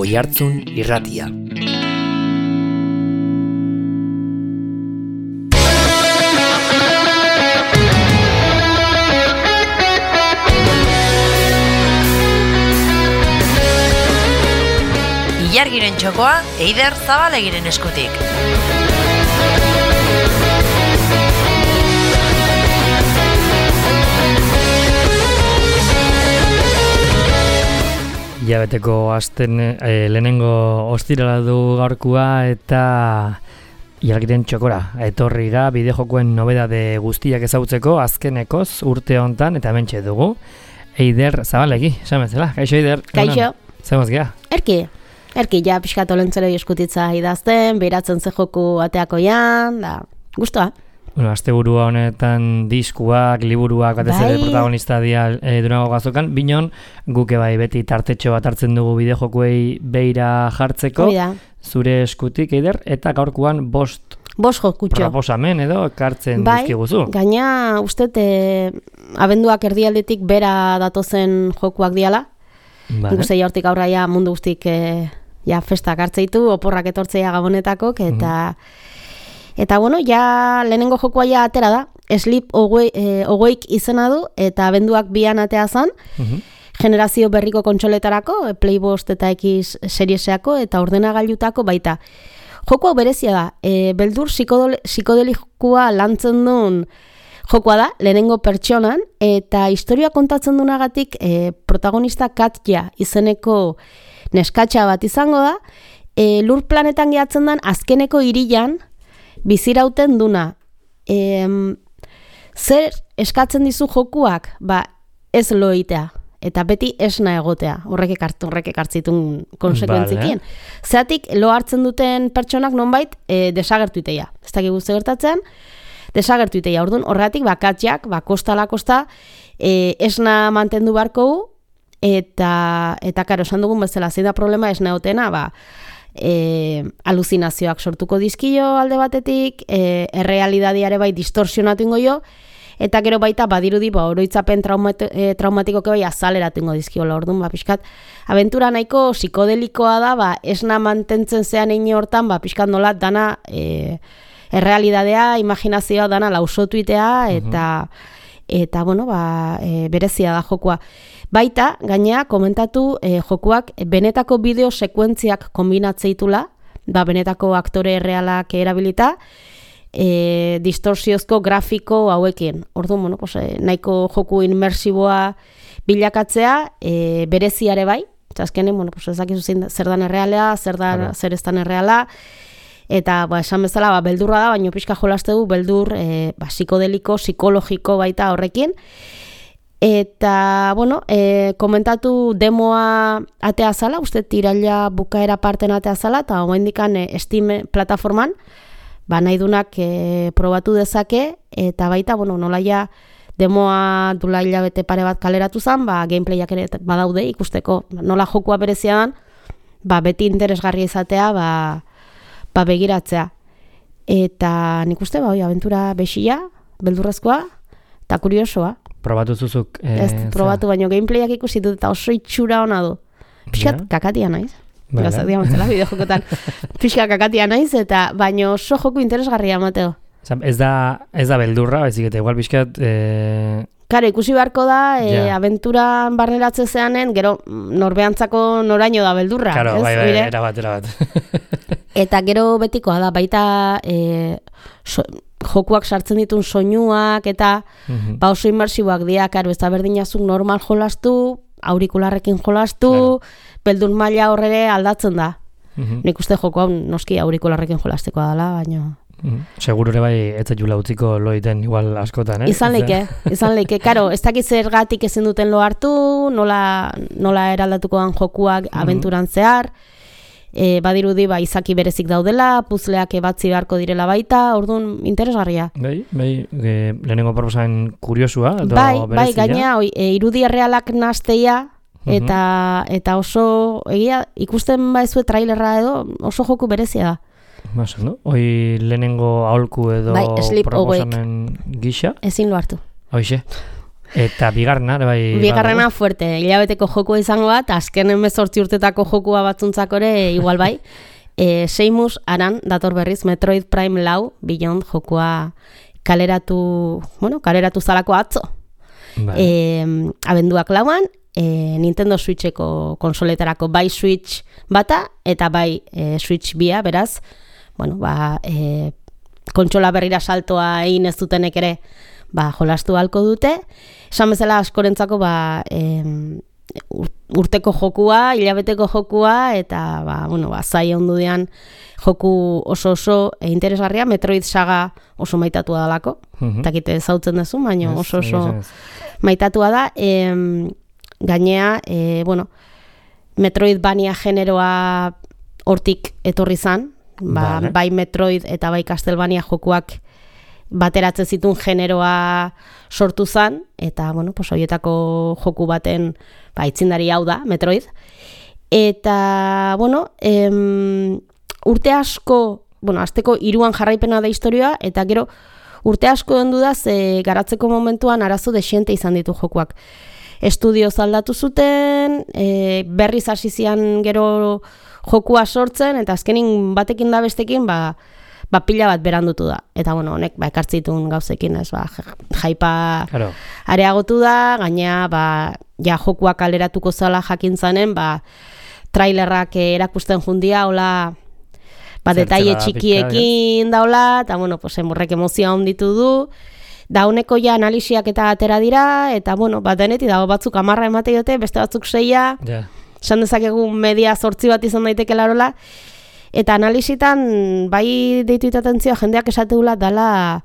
Oihartzun Irratia. Ilargiren txokoa Eider Zabalegiren eskutik. Hilabeteko lehenengo ostirala du gaurkua eta Ilargiren txokora etorrira bideojokoen nobedade guztiak ezagutzeko azkenekoz urte hontan eta hementxe dugu Eider Zabalegi, esamezela. Kaixo Eider. Kaixo. Zemaz gea? Erki ja pixkat olentzeroi eskutitza idazten, behiratzen ze joku ateakoian, da, guztua. Bueno, asteburua honetan diskuak, liburuak, batez ere protagonista dira Durango Gazokan, binon guke bai beti tartetxo bat hartzen dugu bideojokuei beira jartzeko, zure eskutik Eider, eta gaurkoan bost jokutxo. Proposamen edo ekartzen dizkiguzu. Gaina uste abenduak erdialdetik bera datozen jokuak diala. Guzti hortik aurra ja mundu guztik festak hartzeitu, oporrak etortzea gabonetako, eta bueno, ja lehenengo jokoa ja atera da, Sleep Awake izena du, eta abenduak bian atea zan, generazio berriko kontsoletarako, Playbost eta X serieseako, eta ordenagailutako baita. Joko hau berezia da, beldur psikodelikoa lantzen duen jokoa da, lehenengo pertsonan, eta historia kontatzen dunagatik protagonista Katja izeneko neskatxa bat izango da, lur planetan gehatzen den azkeneko hirian bizirauten duna. Zer eskatzen dizu jokuak? Ez loitea, eta beti esna egotea, horrek ekartzitun konsekuentzikien. Zeatik, lo hartzen duten pertsonak nonbait desagertu iteia. Ez dakik guzti gertatzean, desagertu iteia. Orduan, horregatik, Katjak, kostala kosta, esna mantendu barkou, eta karo, esan dugun bezala, zein da problema esna egotena, aluzinazioak sortuko dizkio alde batetik, errealidadiare bai distorsionatu ingo jo, eta gero baita badirudi oroitzapen traumatikoke bai azaleratu ingo dizkiola. Orduan, pixkat, abentura nahiko psikodelikoa da, esna mantentzen zean egin hortan, pixkat nola dana errealidadea, imaginazioa dana lausotuitea, eta bueno, berezia da jokoa. Baita, gainea, komentatu jokuak benetako bideo sekuentziak kombinatzeitula, benetako aktore errealak erabilita, distorsiozko grafiko hauekin. Orduan, bueno, nahiko joku inmersiboa bilakatzea, bereziare bai, azkenen, bueno, ez dakizu zer dan errealea, zer ez dan erreala, eta esan bezala beldurra da, baina pixka jolaste du beldur psikodeliko, psikologiko baita horrekin. Eta, bueno, komentatu demoa atea zala, uste tiraila bukaera parten atea zala, eta oaindikan Steam plataforman, nahi dunak probatu dezake, eta baita, bueno, nola ja demoa dula hilabete pare bat kaleratu zen, gameplayak ere badaude ikusteko, nola jokua berezia dan, beti interesgarria izatea, begiratzea. Eta nik uste, abentura bexia, beldurrezkoa, eta kuriosoa. Probatu zuzuk? Probatu, baino gameplayak ikusi dut, eta oso itxura hona du. Piskat kakatia naiz. Gazak diamantzela, bideojokotan. Piskat kakatia naiz, eta baino oso joku interesgarria mateo. Ez da beldurra, baizik eta igual piskat... Karo, ikusi beharko da, abenturan barneratze zeanen, gero norbeantzako noraino da beldurra. Karo, erabat. Eta gero betikoa da, baita jokuak sartzen ditun soinuak, eta oso inmersiboak dira, karo, ez da berdinazuk normal jolastu, aurikularrekin jolastu, beldur maila horre aldatzen da. Nik uste joko hau noski aurikularrekin jolasteko dela, baina... Seguro ere bai ez zaitula utziko loiten igual askotan, Izan leike. Karo, ez dakit zergatik ezin duten lo hartu, nola eraldatuko dan jokuak abenturan zehar, badirudi izaki berezik daudela, puzleak batzi beharko direla baita, orduan interesgarria. Lehenengo proposamen kuriosua, edo berezia? Bai, gaina, irudi errealak nasteia, eta oso, ikusten baizue trailerra edo, oso joku berezia da. Hoi lehenengo aholku edo proposamen gisa? Ezin lo hartu. Hoixe. Eta bigarrena, bai... Bigarrena fuerte, hilabeteko jokua izango bat, azken 18 urtetako jokua batzuntzakore igual bai. Seimus Aran dator berriz Metroid Prime Lau Beyond jokua kaleratu zalako atzo. Vale. Abenduak lauan, Nintendo Switcheko konsoletarako bai Switch bata eta bai Switch bia, beraz, kontsola berrira saltoa egin ez dutenek ere jolastu halko dute. Esan bezala askorentzako urteko jokua, hilabeteko jokua eta zai ondudean joku oso interesgarria, Metroid saga oso maitatua dalako. Takite zautzen duzu, baina oso maitatua da. Gainea, Metroidvania generoa hortik etorri zan, bai Metroid eta bai Castlevania jokuak bateratzen zituen generoa sortu zan, eta, horietako joku baten aitzindari hau da, Metroid. Eta, urte asko, azteko 3 jarraipena da historia, eta gero urte asko ondu da, garatzeko momentuan arazo desiente izan ditu jokuak. Estudioz aldatu zuten, berriz hasi zian gero jokua sortzen, eta azkenin batekin da bestekin, pila bat berandutu da. Eta, honek, ekartzitun gauzekin, jaipa areagotu da, gaina, jokuak kaleratuko zala jakin zanen, trailerrak erakusten jundia, hola, detaile txikiekin daula, eta, emurrek emozioa onditu du, da honeko analisiak eta atera dira, eta, denetik dago batzuk 10 emate diote, beste batzuk 6, esan dezakegu media 8 bat izan daiteke larola, eta analisitan, bai deitu itatentzioa jendeak esateula dala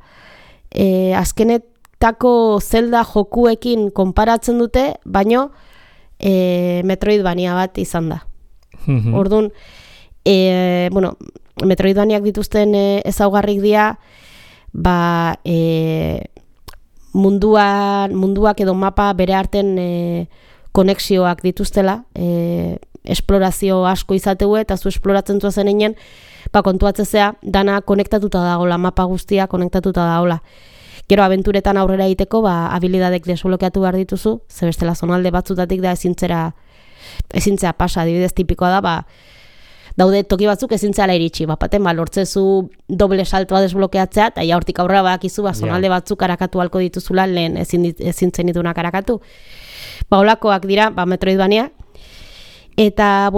azkenetako Zelda jokuekin konparatzen dute, baino Metroidvania bat izan da. Orduan, Metroidvaniak dituzten ezaugarrik dira, munduak edo mapa bere arten konexioak dituztela, esplorazio asko izateu eta zu esploratzen zuazen einen, kontuatzezea, dana konektatuta dagoela, mapa guztia konektatuta dagoela. Gero abenturetan aurrera egiteko, habilidadek desblokeatu behar dituzu, ze bestela zonalde batzutatik da ezintzea pasa, adibidez tipikoa da, daude toki batzuk ezintzela iritsi, baten lortzezu doble saltoa desblokeatzea, eta hortik aurrera badakizu, zonalde batzuk arakatu halko dituzula, lehen ezintzen ditunak arakatu. Olakoak dira, Metroidvania, eta,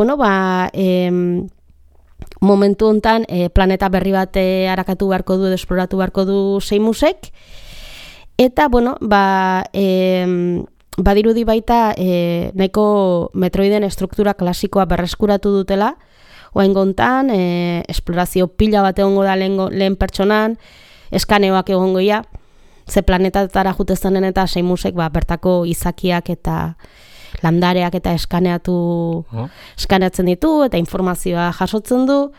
momentu hontan planeta berri bat arakatu beharko du, esploratu beharko du Seimusek, eta, badirudi baita nahiko Metroiden estruktura klasikoa berreskuratu dutela, oraingo hontan esplorazio pila bat egongo da lehen pertsonan, eskaneoak egongoia, ze planetatara jutezanen eta Seimusek bertako izakiak eta landareak eta eskaneatzen ditu eta informazioa jasotzen du.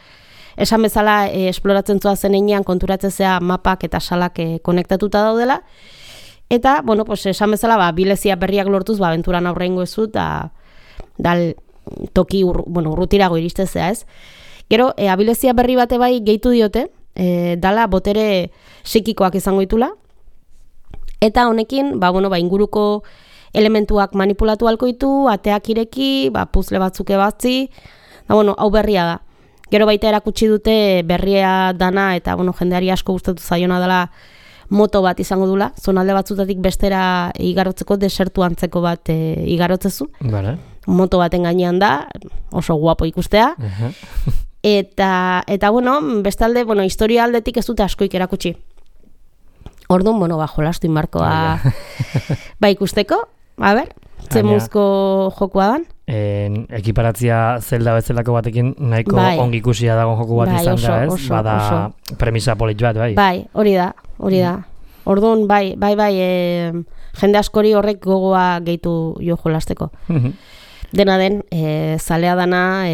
Esan bezala esploratzen zuazen einean konturatzea mapak eta salak konektatuta daudela. Eta, esan bezala, bilezia berriak lortuz, abenturan aurrengo ezu, eta toki urrutirago iristezea, ez? Gero, abilezia berri bate bai gehitu diote, dala botere psikikoak izango ditula, eta honekin, inguruko elementuak manipulatu halko ditu, ateak ireki, puzle batzuk ebatzi, hau berria da. Gero baita erakutsi dute berria dana, eta jendeari asko gustatu zaiona dela moto bat izango dula, zonalde batzutatik bestera igarotzeko desertu antzeko bat igarotzezu. Vale. Moto baten gainean da, oso guapo ikustea. Eta bestalde, historia aldetik ez dute askoik erakutsi. Orduan, jolastu inbarkoa ikusteko, zemuzko jokua dan. Ekiparatzia Zelda bezalako batekin nahiko ongi ikusia dago joku bat izan da, ez? Bada premisa polit bat, bai. Bai, hori da. Orduan, jende askori horrek gogoa gehitu jo jolasteko. Dena den, zalea dana,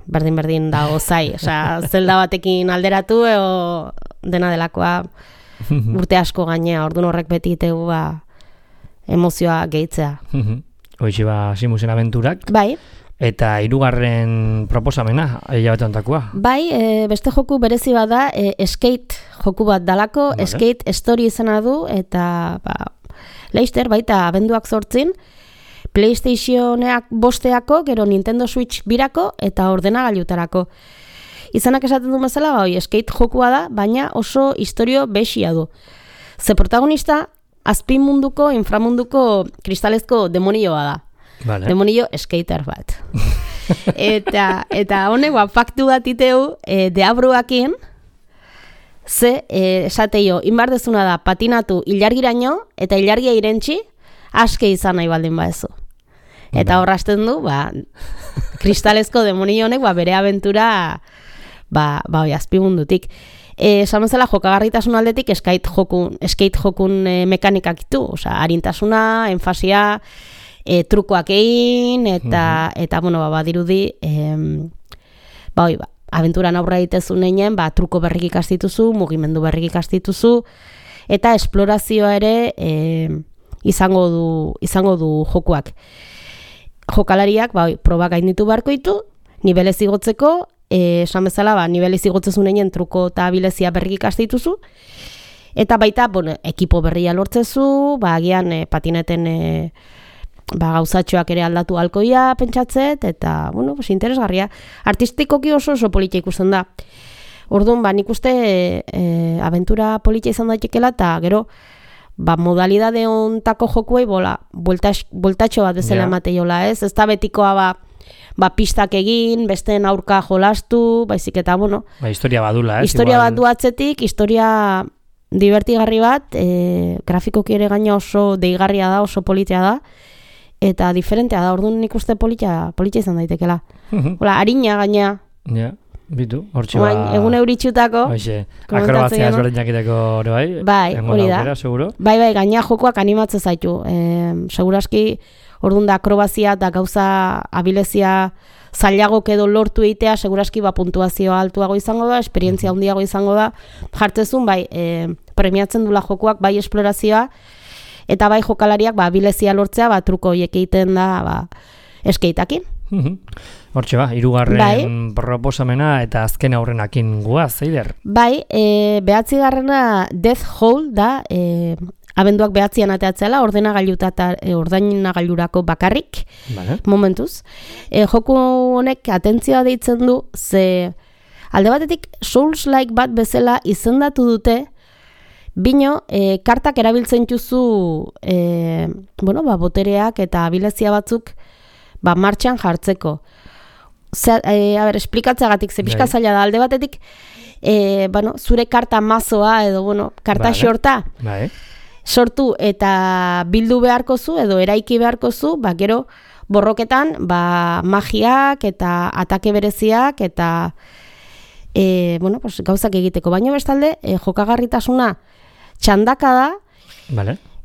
berdin dago zai. Zelda batekin alderatu, dena delakoa urte asko gainea. Orduan horrek beti itegu emozioa gehitzea. Hoixe Seimusen abenturak. Bai. Eta 3. proposamena, hilabete hontakoa. Bai, beste joku berezi bat da, Skate joku bat dalako, vale. Skate Story izena du, eta Laster baita abenduak 8 PlayStationeak 5 gero Nintendo Switch 2 eta ordenagailutarako. Izanak esaten du bezala, skate jokua da, baina oso istorio besia du. Ze protagonista azpi munduko, inframunduko kristalezko demonioa da. Vale. Demonio skater bat. eta honek faktu bat iteu deabruakin, ze esateio, inbardezuna da patinatu ilargiraino eta ilargia irentzi aske izan nahi baldin baezu. Eta horrazten du, kristalezko demonio honek bere abentura azpimundutik. Esan bezala jokagarritasun aldetik skate jokun mekanikak ditu, harintasuna, enfasia, trukoak egin, eta badirudi, abenturan aurra egitezunean, truko berrik ikastituzu, mugimendu berrik ikastituzu, eta esplorazioa ere izango du jokuak. Jokalariak probak gainditu beharko ditu, nibelez igotzeko, esan bezala, nibelez igotzezunean truko eta abilezia berrik ikastituzu, eta baita, ekipo berria lortzezu, agian patineten gauzatxoak ere aldatu alkoia pentsatzet, eta, interesgarria. Artistikoki oso politia ikusten da. Orduan, nik uste abentura politia izan daitekela, eta gero, modalidade ontako jokuei boltatxo bat bezala emateiola, ez? Ez da betikoa, pistak egin, besteen aurka jolastu, baizik eta, historia badula, ez? Historia bat du atzetik, historia divertigarri bat, grafikoki ere gaina oso deigarria da, oso politia da, eta diferentea da, orduan nik uste politia izan daitekela. Harina gaina. Ja, bitu, hortxe egun euritxutako. Akrobazia ezberdinak iteko hori bai? Hori da. Bai, gaina jokoak animatzen zaitu. Seguraski, orduan da akrobazia eta gauza abilezia zailagok edo lortu egitea, seguraski puntuazioa altuago izango da, esperientzia handiago izango da, jartzezun, premiatzen dula jokoak, esplorazioa, eta jokalariak abilezia lortzea, truko horiek egiten da, eskeitakin. Hortxe hirugarren proposamena eta azken aurrenakin guaz, Eider? Behatzi garrena Death Hole da, abenduak behatzian ateatzela, ordainagailurako bakarrik, momentuz. Joku honek atentzioa deitzen du, ze alde batetik Souls-like bat bezala izendatu dute, bino, kartak erabiltzen juzu, botereak eta abilezia batzuk martxan jartzeko. Esplikatzeagatik, ze pixka zaila da, alde batetik, zure karta mazoa edo, karta xorta, sortu eta bildu beharko zu, edo eraiki beharko zu, gero borroketan, magiak eta atake bereziak eta gauzak egiteko. Baina bestalde, jokagarritasuna txandaka da,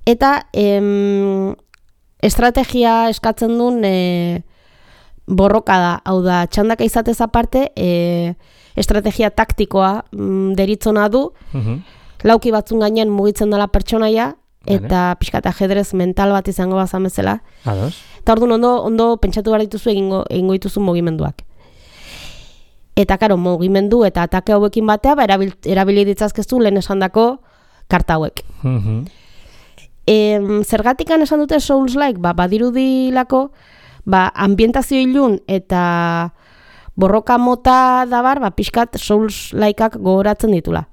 eta estrategia eskatzen duen borroka da, hau da, txandaka izatez aparte, estrategia taktikoa deritzona du, lauki batzun gainean mugitzen dela pertsonaia, eta pixka eta ajedrez mental bat izango bazan bezala. Eta orduan ondo pentsatu behar dituzu egingo dituzu mugimenduak. Eta karo, mugimendu eta atake hauekin batea, erabili ditzazkeztu lehen esandako karta hauek. Zergatikan esan dute Souls-like, badirudilako, ambientazio ilun eta borroka mota dabar, pixkat Souls-likeak gogoratzen ditula.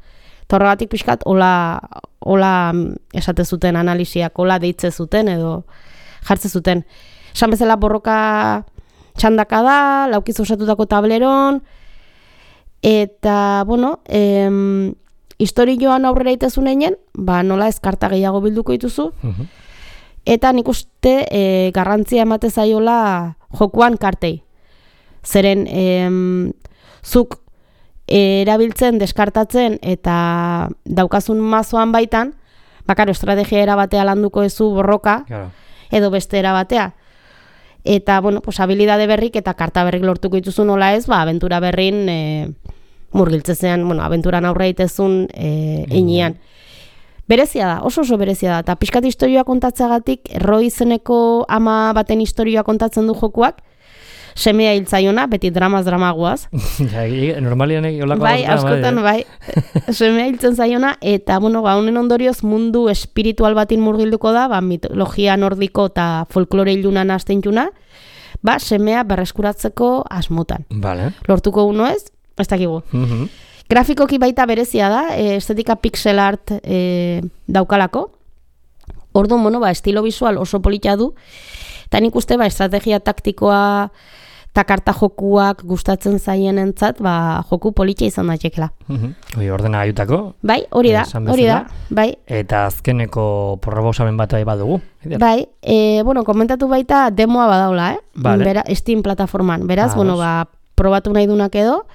Eta horregatik pixkat, hola esate zuten analisiak, hola deitze zuten edo jartze zuten. Esan bezala borroka txandaka da, laukiz osatutako tableron, eta, historioan aurrera itezunean, nola ez karta gehiago bilduko dituzu, eta nik uste garrantzia emate zaiola jokuan kartei. Zeren, zuk erabiltzen, deskartatzen, eta daukazun mazoan baitan, estrategia erabatea landuko ezu borroka, edo beste erabatea. Eta, habilidade berrik eta karta berrik lortuko dituzu nola ez, abentura berrin murgiltzezean, abenturan aurre itezun einean. Berezia da, oso berezia da, eta pixkat historioa kontatzeagatik, Roy izeneko ama baten historioa kontatzen du jokuak, semea hiltzaiona, beti dramaz dramagoaz. Normalian olako bai, askotan, bai. Semea hiltzen zaiona, eta, bueno, honen ondorioz mundu espiritual batin murgilduko da, mitologia nordiko eta folklore ilunan astentxuna, semea berreskuratzeko asmotan. Vale. Lortuko uno ez dakigu. Grafikoki baita berezia da, estetika pixel art daukalako. Orduan, estilo visual oso polita du, eta nik uste, estrategia taktikoa eta karta jokuak gustatzen zaien entzat, joku polita izan daitekela. Ordena gaiutako? Bai, hori da, bai. Eta azkeneko proposamen bat badugu? Bai, komentatu baita demoa badaula, Vale. Steam plataforman. Beraz, probatu nahi dunak edo,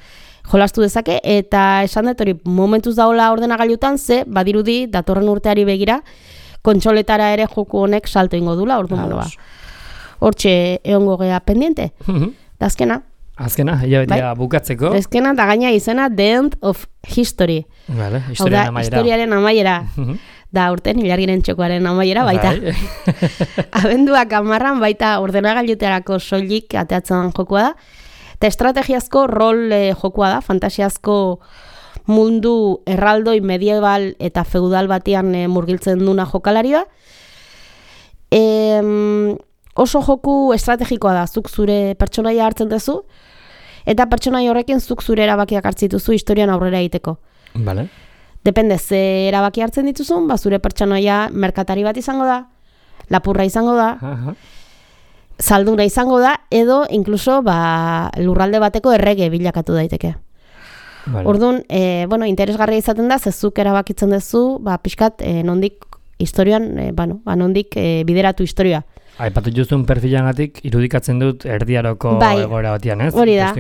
jolastu dezake, eta esan dut hori momentuz daula ordenagailutan, badirudi datorren urteari begira, kontsoletara ere joku honek salto ingo dula, orduan hortxe egongo gea pendiente. Da azkena. Azkena, hilabetea bukatzeko. Azkena, da gaina izena The End of History. Vale, historiaren amaiera. Da urten Ilargiren Txokoaren amaiera baita. Abenduak 10 baita ordenagailuterako soilik ateatzen jokua da. Eta estrategiazko rol jokua da, fantasiazko mundu erraldoi medieval eta feudal batean murgiltzen duna jokalarioa. Oso joku estrategikoa da, zuk zure pertsonaia hartzen duzu, eta pertsonaia horrekin zuk zure erabakiak hartzituzu historian aurrera egiteko. Vale. Depende, ze erabaki hartzen dituzun, zure pertsonaia merkatari bat izango da, lapurra izango da, zalduna izango da, edo inkluso lurralde bateko errege bilakatu daiteke. Vale. Orduan, interesgarria izaten da, zezuk erabakitzen duzu, pixkat, nondik historian, nondik bideratu historia. Aipatu juzun perfilangatik irudikatzen dut erdiaroko egoera batian, ez? Hori da,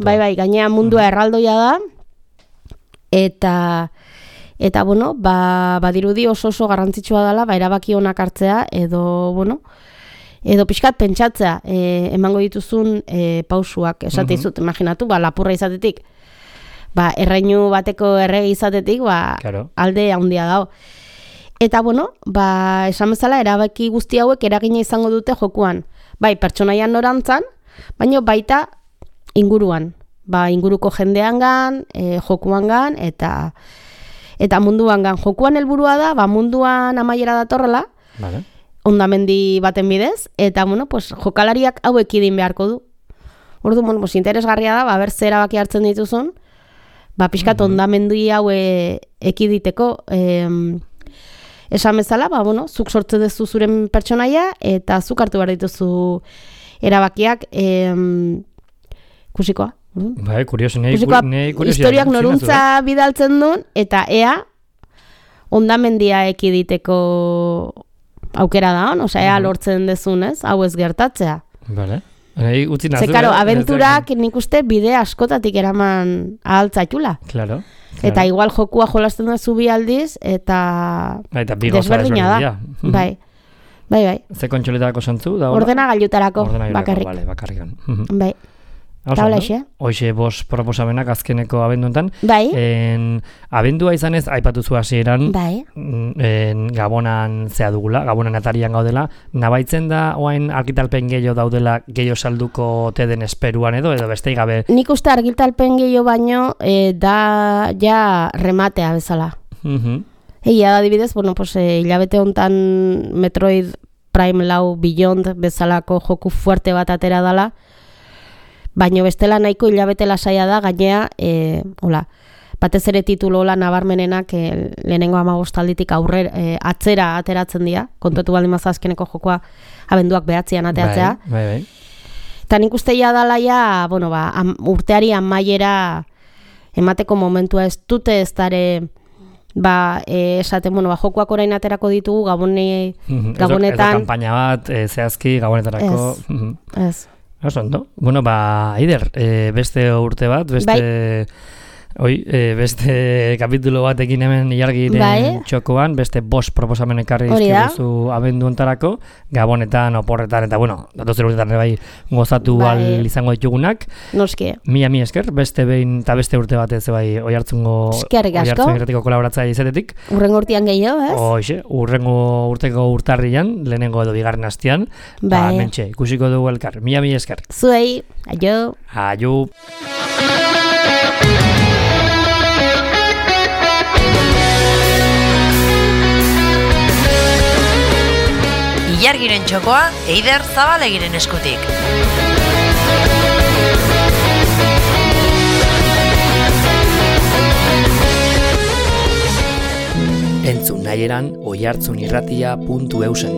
bai, gainea mundua erraldoia da, eta badirudi oso garrantzitsua dela, erabaki onak hartzea, edo pixkat pentsatzea, emango dituzun pausuak, esate izut, imaginatu, lapurra izatetik, erreinu bateko errege izatetik, alde handia dago. Eta, esan bezala, erabaki guzti hauek eragina izango dute jokuan. Bai, pertsonaian norantzan, baina baita inguruan. Inguruko jendeangan, jokuangan, eta munduangan. Jokuan helburua da, munduan amaiera datorrela, vale. Ondamendi baten bidez, eta, jokalariak hauek idin beharko du. Orduan, interesgarria da, ber ze erabaki hartzen dituzun, pixkat ondamendi hau ekiditeko, esan bezala, zuk sortze duzu zuren pertsonaia, eta zuk hartu behar dituzu erabakiak, kusikoa. Bai, kurioso, historiak noruntza bidaltzen duen, eta ea, ondamendia ekiditeko aukera da hon, ea lortzen dezun, ez? Hau ez gertatzea. Vale. Zekaro, abenturak nik uste bide askotatik eraman ahaltzaitula. Claro. Eta igual jokua jolasten duzu bi aldiz, eta desberdina da. Bai. Ze kontsoletarako zantzu? Ordenagailutarako, bakarrik. Bakarrik. Bai. Hoxe bost proposamenak azkeneko abenduetan. Bai. Abendua izanez, aipatuzu hasieran, bai. Gabonan zea dugula, Gabonan atarian gaudela, nabaitzen da oain argitalpen gehiago daudela gehiago salduko teden esperuan edo bestei gabe? Nik uste argitalpen gehiago baino da ja rematea bezala. Egia da adibidez, hilabete hontan Metroid Prime 4 Beyond bezalako joku fuerte bat atera dala, baina bestela nahiko hilabete lasaia da, gainea, batez ere titulo nabarmenenak lehenengo 15 alditik atzera ateratzen dira, kontutu baldin maza azkeneko jokoa abenduak 9an ateatzea. Bai. Eta nik uste dala urteari amaiera emateko momentua ez dute ez dare, esaten, jokoak orain aterako ditugu Gabonetan. Ez da kampaina bat, zehazki Gabonetarako. Ez. Oso ondo. Eider, beste urte bat, beste Beste kapitulo batekin hemen ilargiren txokoan, beste 5 proposamen ekarri izkiduzu abendu ontarako, gabonetan, oporretan, eta datozen urtetan bai gozatu al izango ditugunak. Noski. Mila esker, beste behin eta beste urte batez bai Oiartzungo irratiko kolaboratzaile izatetik. Urrengo urtean gehiago, ez? Hoxe, urrengo urteko urtarrian, lehenengo edo bigarren astean, mentxe, ikusiko dugu elkar. Mila esker. Zuei, aio. Aio. Ilargiren txokoa, Eider Zabalegiren eskutik. Entzun nahieran oiartzunirratia.eusen.